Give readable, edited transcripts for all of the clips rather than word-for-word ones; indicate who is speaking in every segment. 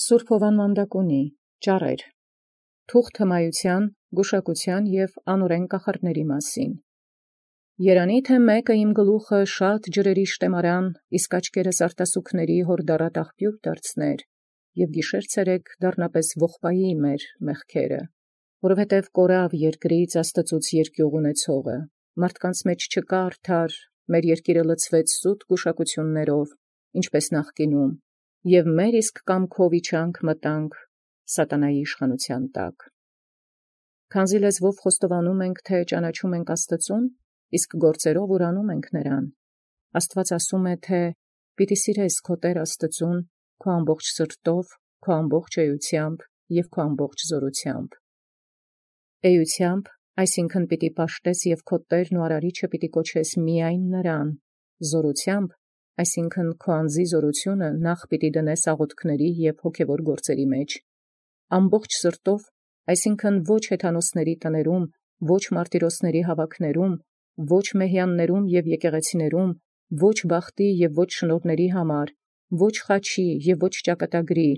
Speaker 1: Սուրբ Հովաննվանդակունի ճառեր թուղթ հմայության, գուշակության և անօրեն կախարդների մասին։ Երանի թե մեկը իմ գլուխը շատ ջրերի շտեմարան, իսկ աչքերս արտասուքների հորդառատ աղբյուր դարձներ, և գիշեր ցերեկ դառնապես ողբայի մեր մեղքերը, որովհետև կորավ երկրից Աստծուց երկյուղ ունեցողը, մարդկանց մեջ չկա արդար, մեր երկիրը լցվեց սուտ գուշակություններով, ինչպես նախկինում, և մեր իսկ կամքով իջանք մտանք սատանայի իշխանության տակ։ Քանզի լեզվով խոստովանում ենք, թե ճանաչում ենք Աստծուն, իսկ գործերով ուրանում ենք նրան։ Աստված ասում է, թե «Պիտի սիրես քո Տեր Աստծուն քո ամբողջ սրտով, քո ամբողջ էությամբ և քո ամբողջ զորությամբ»։ Էությամբ, այսինքն պիտի պաշտես և քո Տերն ու Արարիչը պիտի կոչես միայն նրան, զորությամբ, այսինքն քո անձի զորությունը նախ պիտի դնես աղոթքների և հոգևոր գործերի մեջ, ամբողջ սրտով, այսինքն ոչ հեթանոսների տներում, ոչ մարտիրոսների հավաքներում, ոչ մեհյաններում և եկեղեցիներում, ոչ բախտի և ոչ շնորհների համար, ոչ խաչի և ոչ ճակատագրի,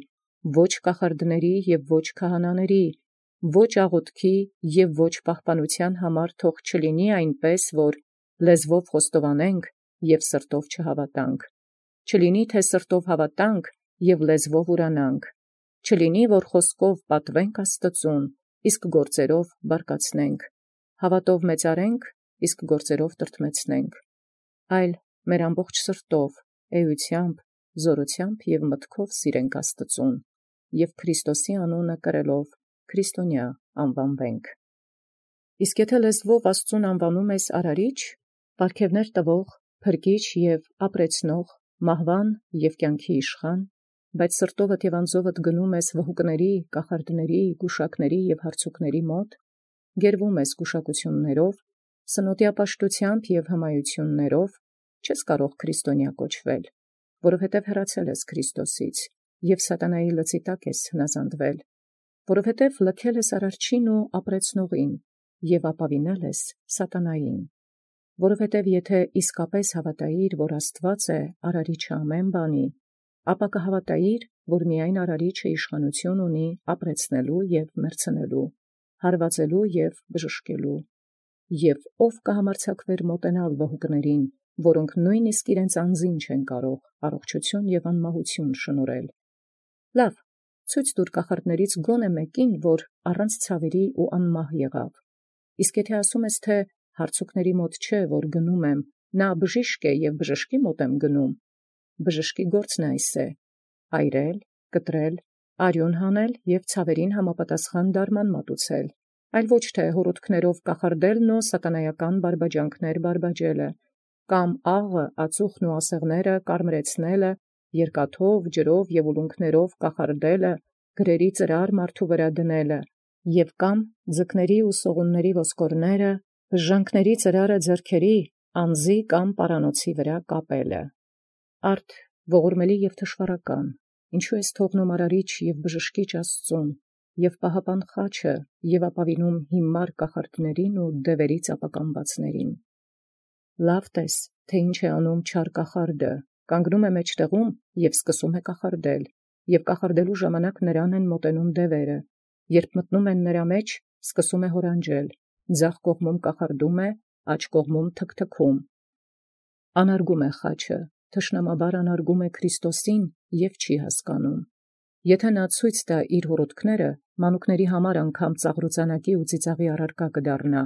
Speaker 1: ոչ կախարդների և ոչ քահանաների, ոչ աղոթքի և ոչ պահպանության համար թող չլինի այնպես, որ լեզվով խոստովանենք և սրտով չհավատանք, չլինի թե սրտով հավատանք և լեզվով ուրանանք, չլինի որ խոսքով պատվենք Աստծուն, իսկ գործերով բարկացնենք, հավատով մեծարենք, իսկ գործերով տրտմեցնենք, այլ մեր ամբողջ սրտով, էությամբ, զորությամբ և մտքով սիրենք Աստծուն, և Քրիստոսի անունը կրելով քրիստոնյա անվանվենք։ Իսկ եթե լեզվով Աստծուն անվանում ես Արարիչ, պարգևներ տվող, փրկիչ և ապրեցնող, մահվան և կյանքի իշխան, բայց սրտովդ և անձովդ գնում ես վհուկների, կախարդների, գուշակների և հարցուկների մոտ, գերվում ես գուշակություններով, սնոտիապաշտությամբ և հմայություններով, չես կարող քրիստոնյա կոչվել, որովհետև հեռացել ես Քրիստոսից և սատանայի լծի տակ ես հնազանդվել, որովհետև լքել ես Արարչին ու ապրեցնողին և ապավինել ես սատանային, որովհետև եթե իսկապես հավատայիր, որ Աստված է Արարիչը ամեն բանի, ապա կհավատայիր, որ միայն Արարիչը իշխանություն ունի ապրեցնելու և մեռցնելու, հարվածելու և բժշկելու, և ով կհամարձակվեր մոտենալ վհուկներին, որոնք նույնիսկ իրենց անձին չեն կարող առողջություն և անմահություն շնորհել։ Լավ, ցույց տուր կախարդներից գոնե մեկին, որ առանց ցավերի ու անմահ եղավ։ Իսկ եթե ասում ես, թե հարցուկների մոտ չէ, որ գնում եմ, նա բժիշկ է և բժշկի մոտ եմ գնում, բժշկի գործն այս է. այրել, կտրել, արյուն հանել և ցավերին համապատասխան դարման մատուցել, այլ ոչ թե հոռոթքներով կախարդելն ու սատանայական բարբաջանքներ բարբաջելը, կամ աղը, ածուխն ու ասեղները կարմրեցնելը, երկաթով, ջրով և ուլունքներով կախարդելը, գրերի ծրար մարդու վրա դնելը, և կամ ձկների ու սողունների ոսկորները, բժժանքների ծրարը ձեռքերի, անձի կամ պարանոցի վրա կապելը։ Արդ ողորմելի և թշվառական, ինչու ես թողնում Արարիչ և բժշկիչ Աստծուն, և պահապան խաչը, և ապավինում հիմար կախարդներին ու դևերից ապականվածներին։ Լավ տես, թե ինչ է անում չար կախարդը, կանգնում է մեջտեղում և սկսում է կախարդել, և կախարդելու ժամանակ նրան են մոտենում դևերը, երբ մտնում են նրա մեջ, սկսում է հորանջել, ձախ կողմում կախարդում է, աջ կողմում թքթքում։ Անարգում է խաչը, թշնամաբար անարգում է Քրիստոսին և չի հասկանում։ Եթե նա ցույց տա իր հոռոթքները, մանուկների համար անգամ ծաղրուծանակի ու ծիծաղի առարկա կդառնա։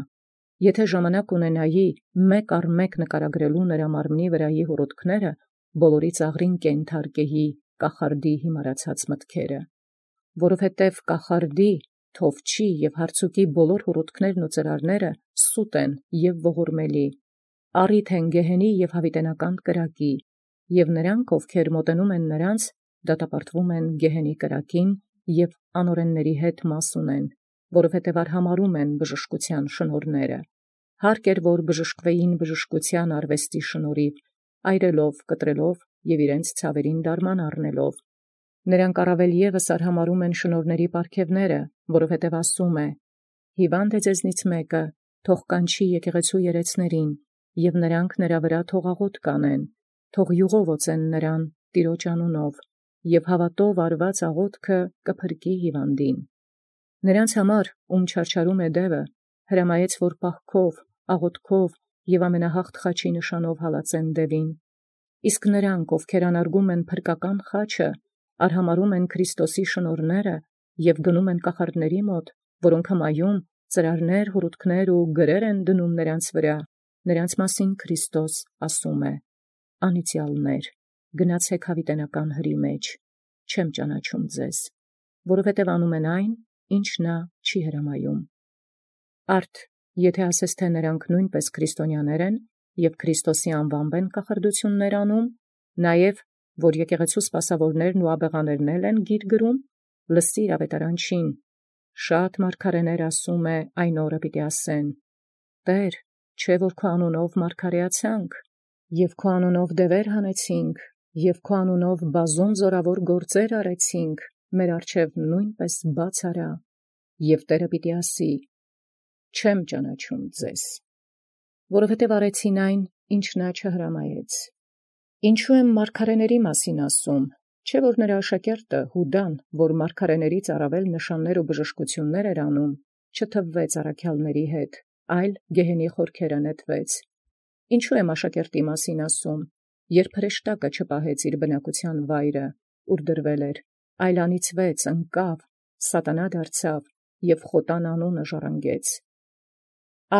Speaker 1: Եթե ժամանակ ունենայի մեկ առ մեկ նկարագրելու նրա մարմնի վրայի հոռոթքները, բոլորի ծաղրին կենթարկեի կախարդի հիմարացած մտքերը, որովհետև կախարդի, թովչի և հարցուկի բոլոր հոռոթքներն ու ծրարները սուտ են և ողորմելի, առիթ են գեհենի և հավիտենական կրակի, և նրանք, ովքեր մոտենում են նրանց, դատապարտվում են գեհենի կրակին և անօրենների հետ մաս ունեն, որովհետև արհամարհում են բժշկության շնորհները։ Հարկ էր, որ բժշկվեին բժշկության արվեստի շնորհիվ, այրելով, կտրելով և իրենց ցավերին դարման առնելով։ Նրանք առավել ևս արհամարհում են շնորհների պարգևները, որովհետև ասում է. «Հիվանդ է ձեզնից մեկը, թող կանչի եկեղեցու երեցներին, և նրանք նրա վրա թող աղոթք անեն, թող յուղով օծեն նրան Տիրոջ անունով, և հավատով արված աղոթքը կփրկի հիվանդին։ Նրանց համար, ում չարչարում է դևը, հրամայեց, որ պահքով, աղոթքով և ամենահաղթ խաչի նշանով հալածեն դևին։ Իսկ նրանք, ովքեր անարգում են փրկական խաչը, արհամարում են Քրիստոսի շնորհները և գնում են կախարդների մոտ, որոնք հմայում, ծրարներ, հուրութքներ ու գրեր են դնում նրանց վրա, նրանց մասին Քրիստոս ասում է. «Անիծյալներ, գնացեք հավիտենական հրի մեջ, չեմ ճանաչում ձեզ, որովհետև անում են այն, ինչ նա չի հրամայում»։ Արդ, եթե ասես թե նրանք նույնպես քրիստոնյաներ են և Քրիստոսի անվամբ են կախարդություններ անում, նաև որ եկեղեցու սպասավորներն ու աբեղաներն են գիր գրում, լսիր ավետարանչին, շատ մարգարեներ ասում է այն օրը պիտի ասեն. «Տեր, չէ որ քո անունով մարգարեացանք, և քո անունով դևեր հանեցինք, և քո անունով բազում զորավոր գործեր արեցինք, մեր առջև նույնպես բաց արա»։ Եվ Տերը պիտի ասի. «Չեմ ճանաչում ձեզ, որովհետև արեցին այն, ինչ նա չհրամայեց»։ Ինչու եմ մարգարեների մասին ասում, չէ որ նրա աշակերտը Հուդան, որ մարգարեներից առավել նշաններ ու բժշկություններ էր անում, չթվվեց առաքյալների հետ, այլ գեհենի խորքերը նետվեց։ Ինչու եմ աշակերտի մասին ասում, երբ հրեշտակը չպահեց իր բնակության վայրը, ուր դրվել էր, այլ անիծվեց, ընկավ, սատանա դարձավ և խոտան անունը ժառանգեց։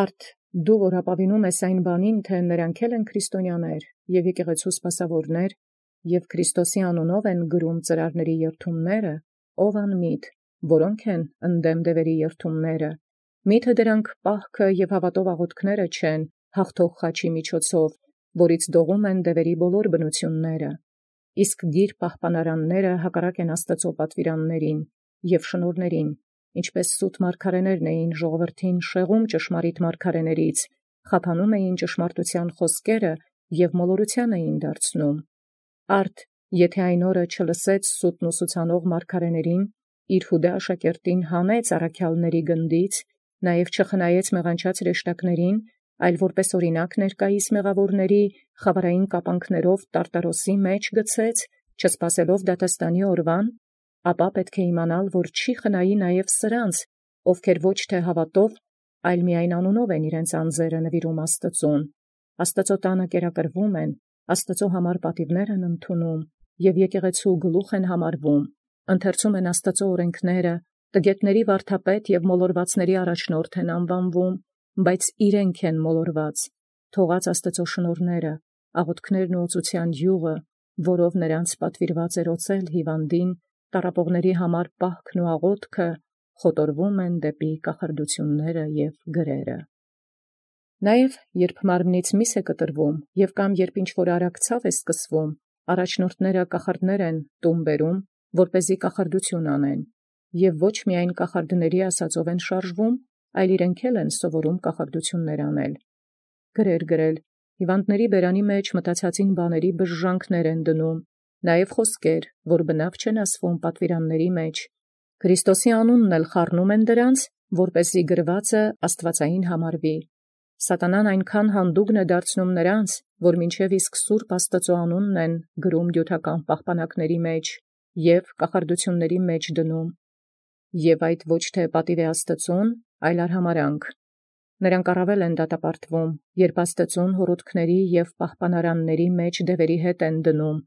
Speaker 1: Արդ, դու որ ապավինում ես այն բանին, թե նրանք էլ են քրիստոնյաներ և եկեղեցու սպասավորներ, և Քրիստոսի անունով են գրում ծրարների երթումները, ով անմիտ, որոնք են ընդդեմ դևերի երթումները, միթե դրանք պահքը և հավատով աղոթքները չեն հաղթող խաչի միջոցով, որից դողում են դևերի բոլոր բնությունները, իսկ գիր պահպանարանները հակառակ են Աստծո պատվիրաններին և շնորհներին, ինչպես սուտ մարգարեներն էին ժողովրդին շեղում ճշմարիտ մարգարեներից, խափանում էին ճշմարտության խոսքերը և մոլորության էին դարձնում։ Արդ, եթե այն օրը չլսեց սուտն ուսուցանող մարգարեներին, իր Հուդա աշակերտին հանեց առաքյալների գնդից, նաև չխնայեց մեղանչած հրեշտակներին, այլ որպես օրինակ ներկայիս մեղավորների խավարային կապանքներով տարտարոսի մեջ գցեց, չսպասելով դատաստանի օրվան, ապա պետք է իմանալ, որ չի խնայի նաև սրանց, ովքեր ոչ թե հավատով, այլ միայն անունով են իրենց անձերը նվիրում Աստծուն, Աստծո տանը կերակրվում են, Աստծո համար պատիվներ են ընդունում և եկեղեցու գլուխ են համարվում, ընթերցում են Աստծո օրենքները, տգետների վարդապետ և մոլորվածների առաջնորդ են անվանվում, բայց իրենք են մոլորված, թողած Աստծո շնորհները, աղոթքներն ու օծության յուղը, որով նրանց պատվիրված էր օծել հիվանդին, տառապողների համար պահքն ու աղոթքը, խոտորվում են դեպի կախարդությունները և գրերը։ Նաև, երբ մարմնից միս է կտրվում և կամ երբ ինչ-որ արարքցավ է սկսվում, առաջնորդները կախարդներ են տուն բերում, որպեսզի կախարդություն անեն, և ոչ միայն կախարդների ասածով են շարժվում, այլ իրենք էլ են սովորում կախարդություններ անել։ Գրեր գրել, հիվանդների բերանի մեջ մտածածին բաների բժժանքներ են դնում, նաև խոսքեր, որ բնավ չեն ասվում պատվիրանների մեջ, Քրիստոսի անունն էլ խառնում են դրանց, որպեսզի գրվածը աստվածային համարվի։ Սատանան այնքան հանդուգն է դարձնում նրանց, որ մինչև իսկ սուրբ Աստծո անունն են գրում դյութական պահպանակների մեջ և կախարդությունների մեջ դնում, և այդ ոչ թե պատիվ է Աստծուն, այլ արհամարանք։ Նրանք առավել են դատապարտվում, երբ Աստծուն հորոտքների և պահպանարանների մեջ դևերի հետ են դնում,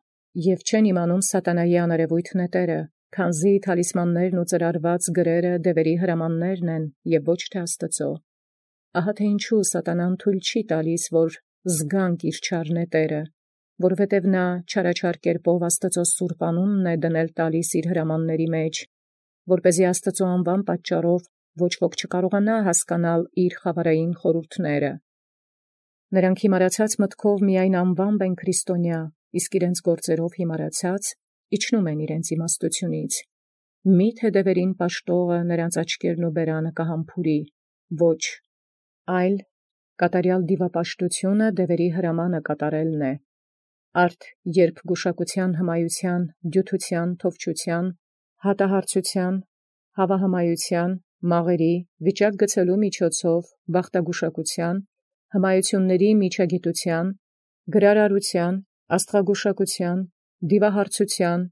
Speaker 1: և չեն իմանում սատանայի աներևույթ նետերը, քանզի թալիսմաններն ու ծրարված գրերը դևերի հրամաններն են և ոչ թե Աստծո։ Ահա թե ինչու սատանան թույլ չի տալիս, որ զգանք իր չար նետերը, որովհետև նա չարաչար կերպով Աստծո սուրբ անունն է դնել տալիս իր հրամանների մեջ, որպեսզի Աստծո անվան պատճառով ոչ ոք չկարողանա հասկանալ իր խավարային խորհուրդները։ Նրանք հիմարացած մտքով միայն անվամբ են քրիստոնյա, իսկ իրենց գործերով հիմարացած իջնում են իրենց իմաստությունից։ Միթե դևերին պաշտողը նրանց աչքերն ու բերանը կհամբուրի, ոչ, այլ կատարյալ դիվապաշտությունը դևերի հրամանը կատարելն է։ Արդ, երբ գուշակության հմայության, դյութության, թովչության, հատահարցության, հավահմայության, մաղերի, վիճակ գցելու միջոցով, բախտագուշակության, հմայությունների միջագիտության, գրարարության, աստղագուշակության, դիվահարցության,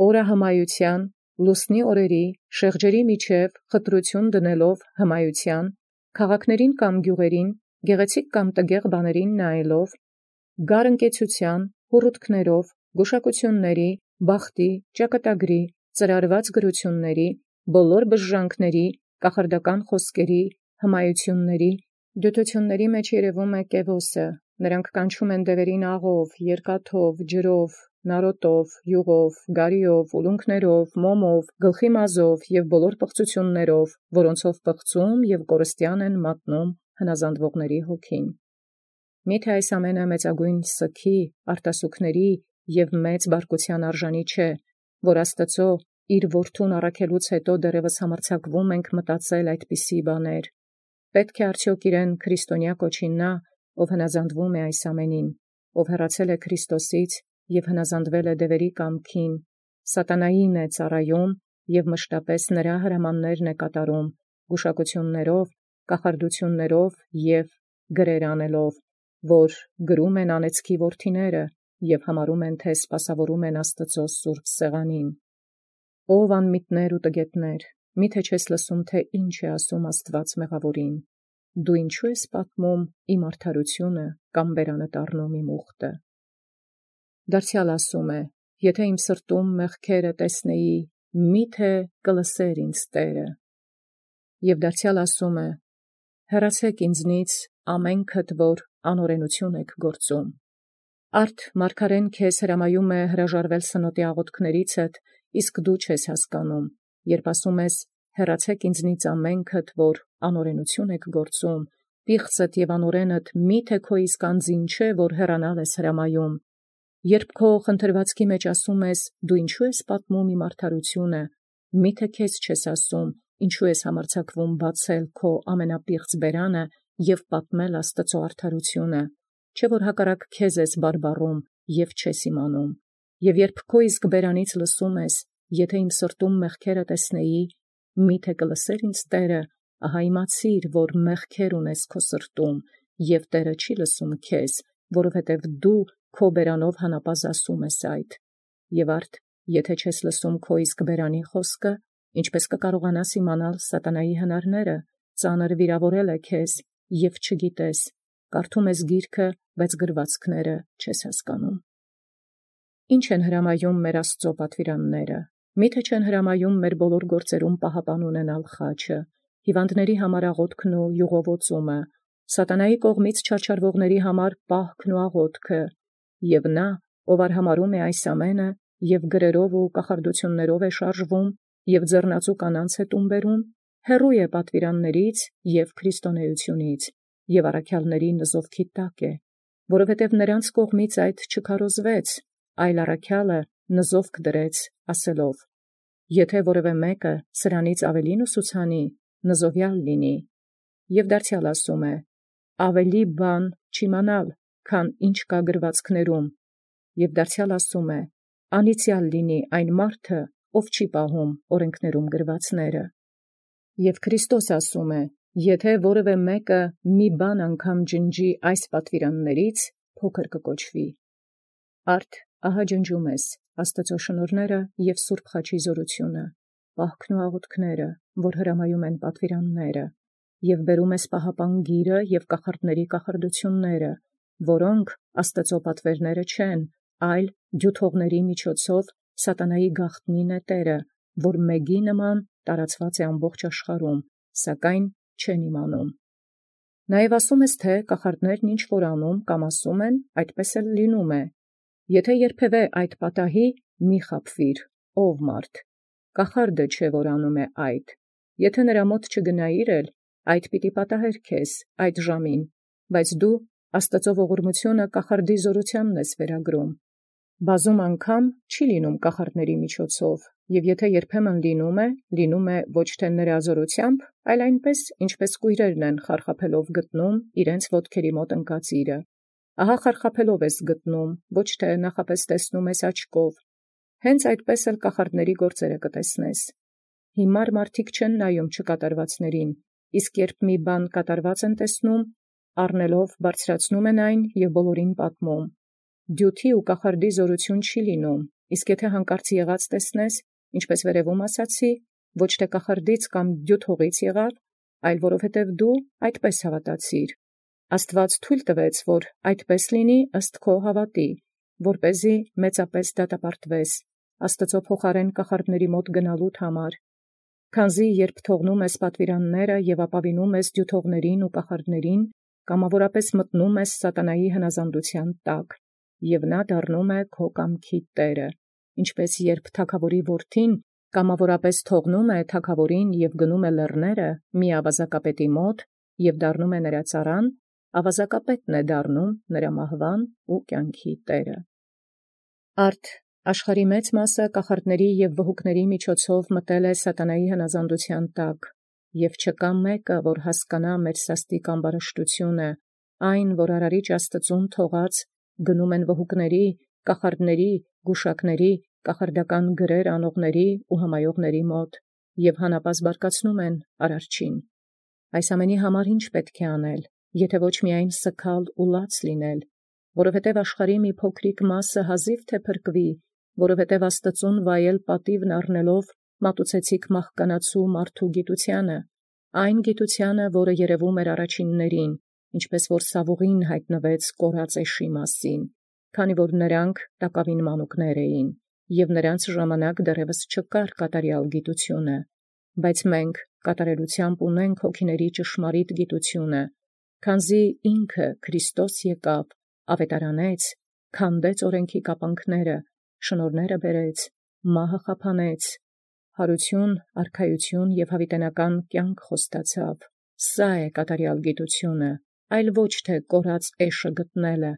Speaker 1: օրը հմայության, լուսնի օրերի, շեղջերի միջև խտրություն դնելով հմայության, քաղաքներին կամ գյուղերին, գեղեցիկ կամ տգեղ բաներին նայելով, գարընկեցության, հուռութքներով, գուշակությունների, բախտի, ճակատագրի, ծրարված գրությունների, բոլոր բժժանքների, կախարդական խոսքերի, հմայությունների, դյութությունների մեջ երևում է կևոսը, նրանք կանչում են դևերին աղով, երկաթով, ջրով, նարոտով, յուղով, գարիով, ուլունքներով, մոմով, գլխի մազով և բոլոր պղծություններով, որոնցով պղծում և կորստյան են մատնում հնազանդվողների հոգին։ Միթե այս ամենը մեծագույն սգի, արտասուքների և մեծ բարկության արժանի չէ, որ Աստծո իր որդուն առաքելուց հետո դեռևս համարձակվում ենք մտածել այդպիսի բաներ։ Պետք է արդյոք իրեն քրիստոնյա կոչի նա, ով հնազանդվում է այս ամենին, ով հեռացել է Քրիստոսից և հնազանդվել է դևերի կամքին, սատանային է ծառայում և մշտապես նրա հրամաններն է կատարում, գուշակություններով, կախարդություններով և գրեր անելով, որ գրում են անեծքի որդիները և համարում են, թե սպասավորում են Աստծո սուրբ սեղանին։ Ով անմիտներ ու տգետներ, միթե չես լսում, թե ինչ է ասում Աստված մեղավորին. դու ինչու ես պատմում իմ արդարությունը կամ բերանը տառնում իմ ուխտը։ Դարձյալ ասում է. եթե իմ սրտում մեղքերը տեսնեի, միթե կլսեր ինձ Տերը։ Եվ դարձյալ ասում է. հեռացեք ինձնից ամենքդ, որ անօրենություն եք գործում։ Արդ մարգարեն քեզ հրամայում է հրաժարվել սնոտի աղոթքներիցդ, իսկ դու չես հասկանում, երբ ասում ես. հեռացեք ինձնից ամենքդ, որ անօրենություն եք գործում, պիղծդ և անօրենդ միթե քո իսկ անձին չէ, որ հեռանալ ես հրամայում, երբ քո խնդրվածքի մեջ ասում ես. դու ինչու ես պատմում իմ արդարությունը, միթե քեզ չես ասում, ինչու ես համարձակվում բացել քո ամենապիղծ բերանը և պատմել Աստծո արդարությունը, չէ որ հակառակ քեզ ես բարբառում և չես իմանում, և երբ քո իսկ բերանից լսում ես. եթե իմ սրտում մեղքերը տեսնեի, միթե կլսեր ինձ Տերը, ահա իմացիր, որ մեղքեր ունես քո սրտում, և Տերը չի լսում քեզ, որովհետև դու քո բերանով հանապազս ասում ես այդ։ Եվ արդ, եթե չես լսում քո իսկ բերանի խոսքը, ինչպես կկարողանաս իմանալ սատանայի հնարները, ծանր վիրավորել է քեզ, և չգիտես, կարդում ես գիրքը, բայց գրվածքները չես հասկանում։ Ինչ են հրամայում մեր Աստծո պատվիրանները։ Միթե չեն հրամայում մեր բոլոր գործերում պահապան ունենալ խաչը, հիվանդների համար աղոթքն ու յուղովոծումը, սատանայի կողմից չարչարվողների համար պահքն ու աղոթքը, և նա, ով արհամարում է այս ամենը, և գրերով ու կախարդություններով է շարժվում, և ձեռնածու կանանց է տուն բերում, հեռու է պատվիրաններից և քրիստոնեությունից, և առաքյալների նզովքի տակ է, որովհետև նրանց կողմից այդ չքարոզվեց, այլ առաքյալը նզովք դրեց, ասելով. եթե որևէ մեկը սրանից ավելին ուսուցանի, նզովյալ լինի։ Եվ դարձյալ ասում է. ավելի բան չիմանալ, քան ինչ կա գրվածքներում, և դարձյալ ասում է. անիծյալ լինի այն մարդը, ով չի պահում օրենքներում գրվածները։ Եվ Քրիստոս ասում է. եթե որևէ մեկը մի բան անգամ ջնջի այս պատվիրաններից, փոքր կկոչվի։ Արդ ահա ջնջում ես Աստծո շնորհները և Սուրբ խաչի զորությունը, պահքն ու աղոթքները, որ հրամայում են պատվիրանները, և բերում ես պահապան գիրը և կախարդների կախարդությունները, որոնք Աստծո պատվերները չեն, այլ դյութողների միջոցով սատանայի գաղտնի նետերը, որ մեգի նման տարածված է ամբողջ աշխարհում, սակայն չեն իմանում։ Նաև ասում ես, թե կախարդներն ինչ որ անում կամ ասում են, այդպես էլ լինում է։ Եթե երբևէ այդ պատահի, մի խաբվիր, ով մարդ, կախարդը չէ, որ անում է այդ, եթե նրա մոտ չգնայիր էլ, այդ պիտի պատահեր քեզ այդ ժամին, բայց դու Աստծո ողորմությունը կախարդի զորությանն ես վերագրում։ Բազում անգամ չի լինում կախարդների միջոցով, և եթե երբեմն լինում է ոչ թե նրա զորությամբ, այլ այնպես, ինչպես կույրերն են խարխափելով գտնում իրենց ոտքերի մոտ ընկած իրը։ Ահա խարխափելով ես գտնում, ոչ թե նախապես տեսնում ես աչքով։ Հենց այդպես էլ կախարդների գործերը կտեսնես։ Հիմար մարդիկ չեն նայում չկատարվածներին, իսկ երբ մի բան կատարված են տեսնում, առնելով բարձրացնում են այն և բոլորին պատմում։ Դյութի ու կախարդի զորություն չի լինում, իսկ եթե հանկարծ եղած տեսնես, ինչպես վերևում ասացի, ոչ թե կախարդից կամ դյութողից եղավ, այլ որովհետև դու այդպես հավատացիր։ Աստուած թույլ տվեց, որ այդպես լինի ըստ քո հավատի, որպեսզի մեծապես դատապարտվես Աստծո փոխարեն կախարդների մոտ գնալուդ համար։ Քանզի երբ թողնում ես պատվիրանները եւ ապավինում ես դյութողներին ու կախարդներին, կամավորապես մտնում ես սատանայի հնազանդության տակ, եւ նա դառնում է քո կամքի տերը, ինչպես երբ թագավորի որդին կամավորապես թողնում է թագավորին եւ գնում է լեռները մի ավազակապետի մոտ եւ դառնում է նրա ծառան, ավազակապետն է դառնում նրա մահվան ու կյանքի տերը։ Արդ աշխարհի մեծ մասը կախարդների եւ վհուկների միջոցով մտել է սատանայի հնազանդության տակ, եւ չկա մեկը, որ հասկանա մեր սաստիկ ամբարշտությունը, այն, որ արարիչ Աստծուն թողած գնում են վհուկների, կախարդների, գուշակների, կախարդական գրեր անողների ու հմայողների մոտ, եւ հանապազտ բարկացնում են արարչին։ Այս ամենի համար ինչ պետք է անել, եթե ոչ միայն սգալ ու լաց լինել, որովհետև աշխարհի մի փոքրիկ մասը հազիվ թե փրկվի, որովհետև Աստծուն վայել պատիվն առնելով մատուցեցիք մահկանացու մարդու գիտությանը, այն գիտությանը, որը երևում էր առաջիններին, ինչպես որ Սավուղին հայտնվեց կորած էշի մասին, քանի որ նրանք տակավին մանուկներ էին, եւ նրանց ժամանակ դեռևս չկար կատարյալ գիտությունը, բայց մենք կատարելությամբ ունենք հոգիների ճշմարիտ գիտությունը, քանզի ինքը Քրիստոս եկավ, ավետարանեց, քանդեց օրենքի կապանքները, շնորհները բերեց, մահը խափանեց, հարություն, արքայություն եւ հավիտենական կյանք խոստացավ։ Սա է կատարյալ գիտությունը, այլ ոչ թե կորած էշը գտնելը։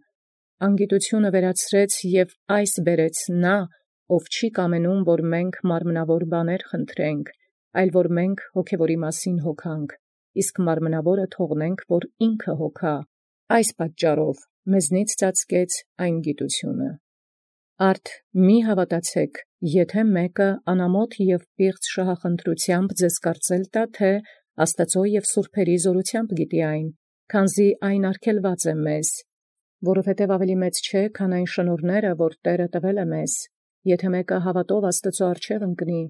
Speaker 1: Անգիտությունը վերացրեց եւ այս բերեց նա, ով չի կամենում, որ մենք մարմնավոր բաներ խնդրենք, այլ որ մենք հոգևորի մասին հոգանք, իսկ մարմնավորը թողնենք, որ ինքը հոգա։ Այս պատճառով մեզնից ծածկեց այն գիտությունը։ Արդ մի հավատացեք, եթե մեկը անամոթ եւ պիղծ շահախնդրությամբ ձեզ կարծել տա, թե Աստծո եւ սուրբերի զորությամբ գիտի այն, քանզի այն արգելված է մեզ, որովհետև ավելի մեծ չէ, քան այն շնորհները, որ Տերը տվել է մեզ։ Եթե մեկը հավատով Աստծո առջև ընկնի,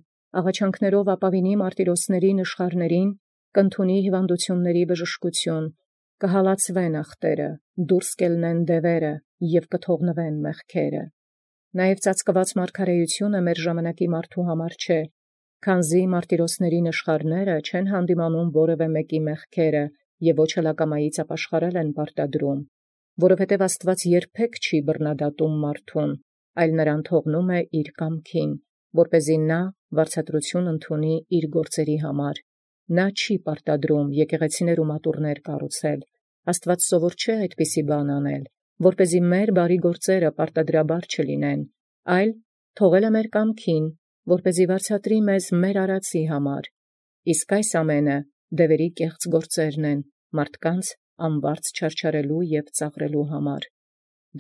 Speaker 1: աղաչանքներով ապավինի մարտիրոսների նշխարներին, կընդունի հիվանդությունների բժշկություն, կհալածվեն ախտերը, դուրս կելնեն դևերը եւ կթողնվեն մեղքերը։ Նաև ծածկված մարգարեությունը մեր ժամանակի մարդու համար չէ, քանզի մարտիրոսների նշխարները չեն հանդիմանում որևէ մեկի մեղքերը եւ ոչ հլակամայից ապաշխարել են պարտադրում, որովհետև Աստված երբեք չի բռնադատում մարդուն, այլ նրան թողնում է իր կամքին, որպեսզի նա վարձատրություն ընդունի իր գործերի համար։ Նա չի պարտադրում եկեղեցիներ ու մատուռներ կառուցել։ Աստված սովոր չէ այդպիսի բան անել, որպեսզի մեր բարի գործերը պարտադրաբար չլինեն, այլ թողել է մեր կամքին, որպեսզի վարձատրի մեզ մեր արածի համար։ Իսկ այս ամենը դևերի կեղծ գործերն են, մարդկանց անվարձ չարչարելու եւ ծաղրելու համար։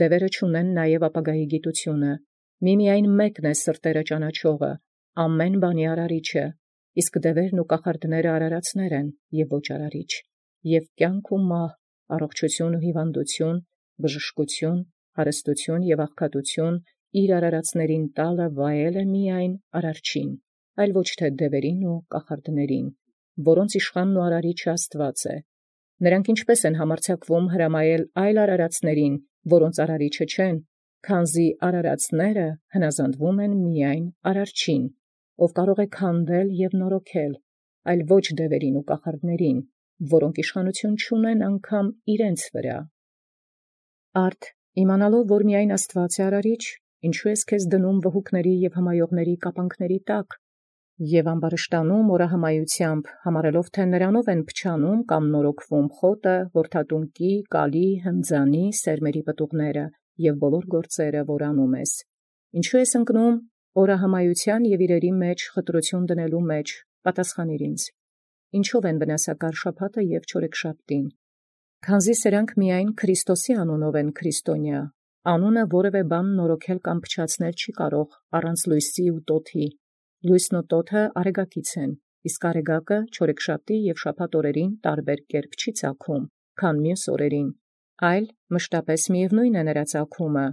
Speaker 1: Դևերը չունեն նաև ապագայի գիտությունը, միմիայն մեկն է սրտերը ճանաչողը, ամեն բանի արարիչը, իսկ դևերն ու կախարդները արարածներ են եւ ոչ արարիչ, եւ կյանք ու մահ, առողջություն ու հիվանդություն, բժշկություն, հարստություն եւ աղքատություն իր արարածներին տալը վայել է միայն արարչին, այլ ոչ թե դևերին ու կախարդներին, որոնց իշխանն ու արարիչը Աստված է։ Նրանք ինչպես են համարձակվում հրամայել այլ արարածներին, որոնց արարիչը չեն, քանզի արարածները հնազանդվում են միայն արարչին, ով կարող է քանդել եւ նորոգել, այլ ոչ դևերին ու կախարդներին, որոնք իշխանություն չունեն անգամ իրենց վրա։ Արդ իմանալով, որ միայն Աստված է արարիչ, ինչու ես քեզ դնում վհուկների եւ հմայողների կապանքների տակ, եւ ամբարշտանում օրահմայությամբ, համարելով թե նրանով են փչանում կամ նորոգվում խոտը, որդատունկի, կալի, հնձանի, սերմերի պտուղները եւ բոլոր գործերը, որ անում ես։ Ինչու ես ընկնում օրահմայության եւ իրերի մեջ խտրություն դնելու մեջ, պատասխանիր ինձ։ Ինչով են վնասակար շաբաթը եւ չորեքշաբթին։ Քանզի սրանք միայն Քրիստոսի անունով են քրիստոնյա, անունը որևէ բան նորոգել կամ փչացնել չի կարող առանց լույսի ու տոթի։ Լույսն ու տոթը արեգակից են, իսկ արեգակը չորեքշաբթի եւ շաբաթ օրերին տարբեր կերպ չի ծագում, քան մյուս օրերին, այլ մշտապես միևնույն է նրա ծագումը։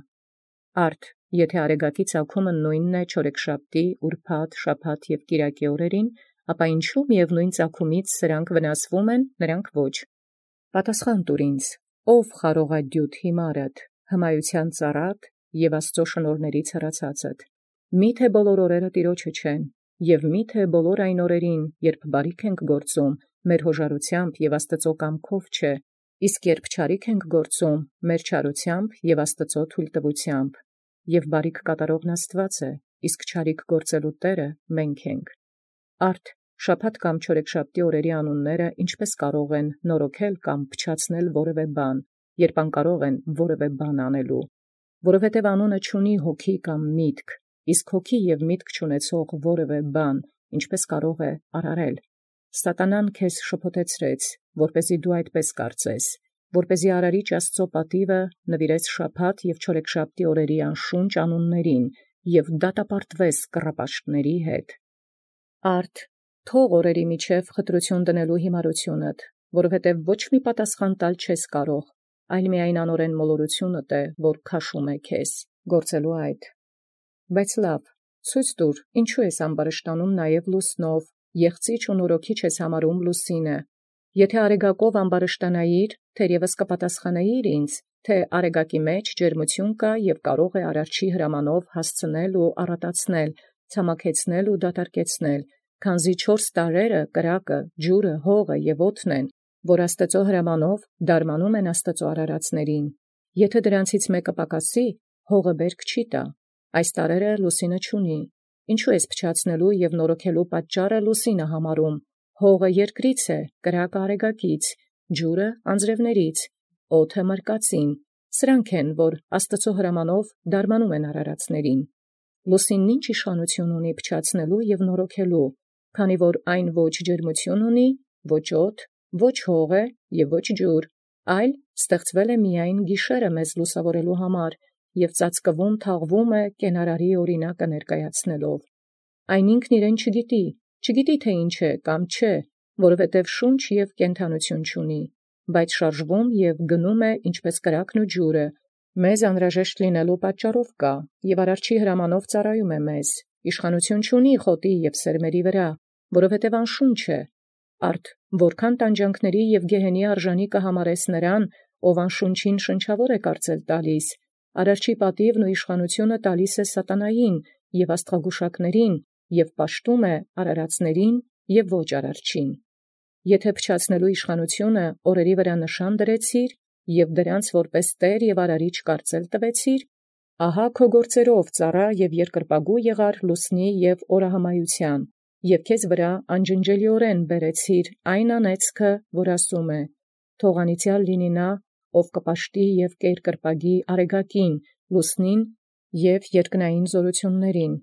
Speaker 1: Արդ Եթե արեգակի ծագումը նույնն է չորեքշաբթի, ուրբաթ, շաբաթ և կիրակի օրերին, ապա ինչու միևնույն ծագումից սրանք վնասվում են, նրանք ոչ։ Պատասխան տուր ինձ, ով խարողադյութ հիմարդ, հմայության ծառատ և Աստծո շնորհներից հեռացածդ։ Միթե բոլոր օրերը Տիրոջը չեն, և միթե բոլոր այն օրերին, երբ բարիք ենք գործում, մեր հոժարությամբ և Աստծո կամքով չէ, իսկ երբ չարիք ենք գործում, մեր չարությամբ և Աստծո թույլտվությամբ, և բարիք կատարողն Աստված է, իսկ չարիք գործելու Տերը մենք ենք։ Արդ շաբաթ կամ չորեքշաբթի օրերի անունները ինչպես կարող են նորոգել կամ փչացնել որևէ բան, երբ անկարող են որևէ բան անելու, որովհետև անունը չունի հոգի կամ միտք, իսկ հոգի և միտք չունեցող որևէ բան, ինչպես կարող է արարել։ Սատանան քեզ շփոթեցրեց, որպեսզի դու այդպես կարծես, որպեսզի արարիչ Աստծո պատիվը նվիրես շաբաթ և չորեքշաբթի օրերի անշունչ անուններին և դատապարտվես կռապաշտների հետ։ Արդ թող օրերի միջև խտրություն դնելու հիմարությունդ, որովհետև ոչ մի պատասխան տալ չես կարող, այլ միայն անօրեն մոլորությունդ է, որ քաշում է քեզ գործելու այդ։ Բայց լավ, ցույց տուր, ինչու ես ամբարշտանում նաև լուսնով, եղծիչ ու նորոգիչ ես համարում լուսինը։ Եթե արեգակով ամբարշտանայիր, թերևս կպատասխանայիր ինձ, թե արեգակի մեջ ջերմություն կա և կարող է արարչի հրամանով հասցնել ու առատացնել, ցամաքեցնել ու դատարկեցնել, քանզի 4 տարրերը, կրակը, ջուրը, հողը և օդն են, որ Աստծո հրամանով դարմանում են Աստծո արարածներին։ Եթե դրանցից մեկը պակասի, հողը բերք չի տա, այս տարրերը լուսինը չունի։ Ինչու ես փչացնելու և նորոգելու պատճառը լուսինը համարում, հողը երկրից է, կրակը արեգակից, ջուրը անձրևներից, օդը մրկածին, սրանք են, որ Աստծո հրամանով դարմանում են արարածներին։ Լուսինն ինչ իշխանություն ունի փչացնելու և նորոգելու, քանի որ այն ոչ ջերմություն ունի, ոչ օդ, ոչ հող է և ոչ ջուր, այլ ստեղծվել է միայն գիշերը մեզ լուսավորելու համար և ծածկվում թաղվում է կենարարի օրինակը ներկայացնելով։ Այն ինքն իրեն չգիտի թե ինչ է կամ չէ, որովհետև շունչ և կենդանություն չունի, բայց շարժվում և գնում է ինչպես կրակն ու ջուրը, մեզ անհրաժեշտ լինելու պատճառով կա, և արարչի հրամանով ծառայում է մեզ, իշխանություն չունի խոտի և սերմերի վրա, որովհետև անշունչ է։ Արդ որքան տանջանքների և գեհենի արժանի կհամարես նրան, ով անշունչին շնչավոր է կարծել տալիս, արարչի պատիվն ու իշխանությունը տալիս է սատանային և աստղագուշակներին և պաշտում է արարածներին և ոչ արարչին։ Եթե փչացնելու իշխանությունը օրերի վրա նշան դրեցիր և դրանց որպես Տեր և արարիչ կարծել տվեցիր, ահա քո գործերով ծառա և երկրպագու եղար լուսնի և օրահմայության, և քեզ վրա անջնջելիորեն բերեցիր այն անեծքը, որ ասում է. թող անիծյալ լինի նա, ով կպաշտի և կերկրպագի արեգակին, լուսնին և երկնային զորություններին։